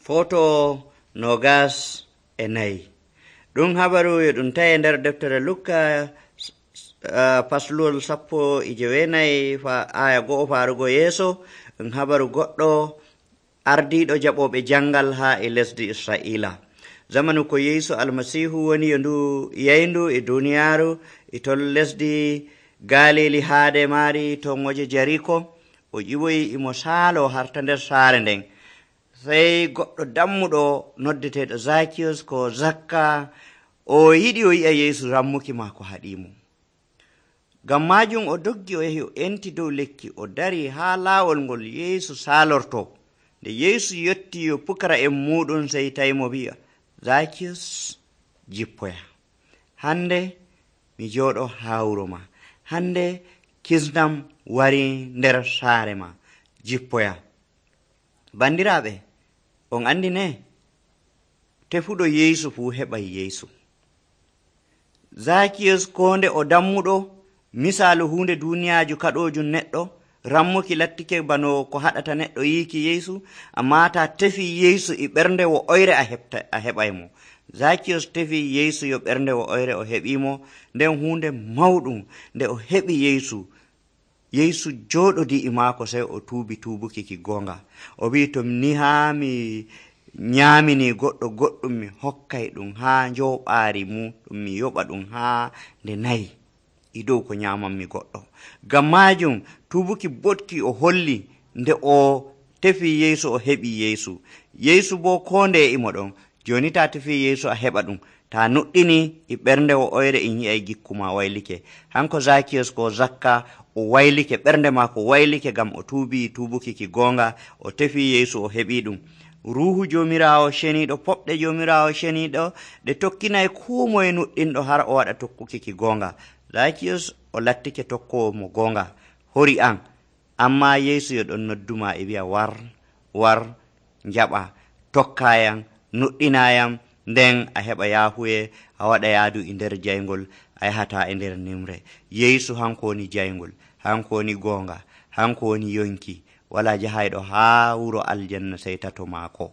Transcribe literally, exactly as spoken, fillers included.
Foto nogas e nayi. Ɗum habaru e ɗum tawi nder deftere Lukka uh, paslol sappo e jewenayi fa aya go'o farugo yeeso. Ɗum habaru goɗɗo ardiɗo jaɓoɓe jangal ha e lesdi Israila. Zamanu ko Yeesu almasihu woni e ndu yayndu e duniyaru e tol lesdi Galili haade mari to ngoje Jariko. O ƴiwoyi imo saalo harta nder saare nden. Sey goɗɗo dammuɗo noddeteɗo Zakiyos ko Zakka o yiɗi o yi'a Yeesu, rammuki maako haɗimo. Ngam majum o doggi o yahi o enti dow lekki o dari ha laawol ngol Yeesu saalorto. Nde Yeesu yetti yo pukara en muɗum sey tawimo wi'a, Zakiyos, jippoya. Hande mi jooɗo ha wuro ma. Hande kisnam wari nder saare ma. Jippoya. Bandiraɓe, on andi ne? Tefuɗo Yeesu fu heɓay Yeesu. Zakiyos konde o dammuɗo, misalu hunde duniyaaju kaɗojum neɗɗo, rammuki lattike bano ko haɗata neɗɗo yiiki Yeesu, amma ta tefi Yeesu e ɓernde wo oyre a heɓta a heɓaymo. Zakiyos tefi Yeesu yo ɓernde wo oyre o heɓimo, nden hunde mawɗum nde o heɓi Yeesu. Yeesu jooɗodi e maako sey o tuubi tuubuki ki goonga. O wi to ni haa mi nyaamini goɗɗo goɗɗum mi hokkay ɗum haa njooɓaari mum ɗum mi yoɓa ɗum haa nde nayi e dow ko nyaamanmi goɗɗo. Ngam maajum tuubuki boɗki o holli nde o tefi Yeesu o heɓi Yeesu. Yeesu bo koo nde imo ɗon. Jooni taa tefi Yeesu a heɓa ɗum. Ta nuɗɗini e ɓernde wo oyre in yi'ay gikkuma waylike. Hanko Zakiyos ko Zakka o waylike, ɓernde maako waylike ngam o tuubi tuubuki ki goonga, o tefi Yeesu o heɓi ɗum. Ruuhu Joomiraawo ceniiɗo, poɓɗe Joomiraawo ceniiɗo ɗe tokkinay koo moye nuɗɗinɗo har o waɗa tokkuki ki goonga. Zakiyos o lattike tokkowo mo goonga, hori an, amma Yeesu yo ɗon nodduma e wi'a war, war, njaɓa, tokkayam, nuɗɗinayam, nden a heɓa yaahuye a waɗa yaadu e nder jayngol, a yahata e nder nimre. Yeesu hanko woni jayngol, hanko woni goonga, hanko woni yonki, wala jahayɗo haa wuro aljanna sey tato maako.